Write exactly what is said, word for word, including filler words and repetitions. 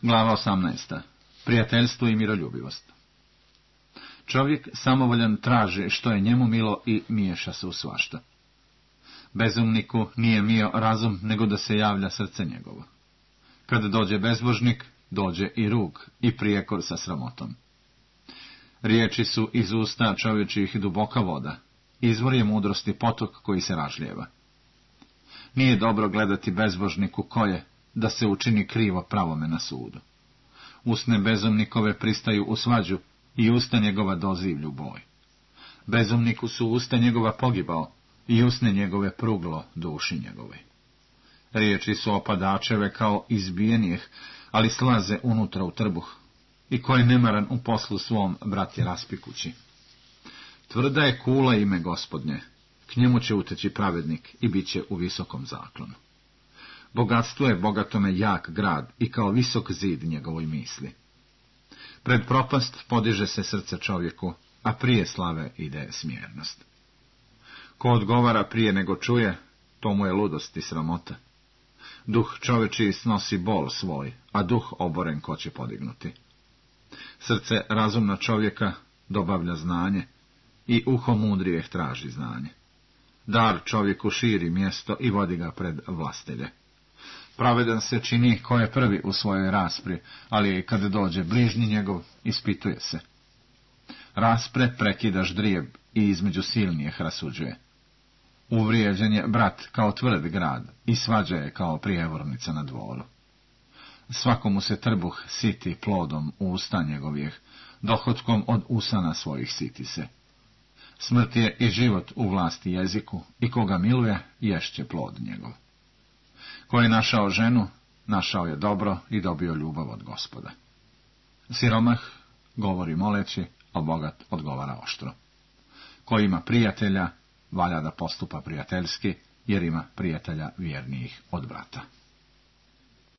Glava osamnaesta. Prijateljstvo i miroljubivost. Čovjek samovoljan traži što je njemu milo i miješa se u svašta. Bezumniku nije mio razum, nego da se javlja srce njegovo. Kada dođe bezbožnik, dođe i rug i prijekor sa sramotom. Riječi su iz usta čovječih duboka voda, izvor je mudrosti potok koji se ražlijeva. Nije dobro gledati bezbožniku koje, da se učini krivo pravome na sudu. Usne bezumnikove pristaju u svađu i usta njegova dozivlju boj. Bezumniku su usta njegova pogibao i usne njegove pruglo duši njegove. Riječi su opadačeve kao izbijenijeh, ali slaze unutra u trbuh, i ko je nemaran u poslu svom, brat je raspikući. Tvrda je kula ime Gospodnje, k njemu će uteći pravednik i bit će u visokom zaklonu. Bogatstvo je bogatome jak grad i kao visok zid njegovoj misli. Pred propast podiže se srce čovjeku, a prije slave ide smjernost. Ko odgovara prije nego čuje, to mu je ludost i sramota. Duh čovječiji snosi bol svoj, a duh oboren ko će podignuti. Srce razumna čovjeka dobavlja znanje i uho mudrijeh traži znanje. Dar čovjeku širi mjesto i vodi ga pred vlastelje. Pravedan se čini ko je prvi u svojoj raspri, ali kada dođe bližnji njegov, ispituje se. Raspre prekida ždrijeb i između silnijeh rasuđuje. Uvrijeđen je brat kao tvrd grad i svađa je kao prijevornica na dvoru. Svakomu se trbuh siti plodom usta njegovih, dohotkom od usana svojih siti se. Smrt je i život u vlasti jeziku, i koga miluje, ješće plod njegov. Ko je našao ženu, našao je dobro i dobio ljubav od Gospoda. Siromah govori moleći, a bogat odgovara oštro. Ko ima prijatelja, valja da postupa prijateljski, jer ima prijatelja vjernijih od brata.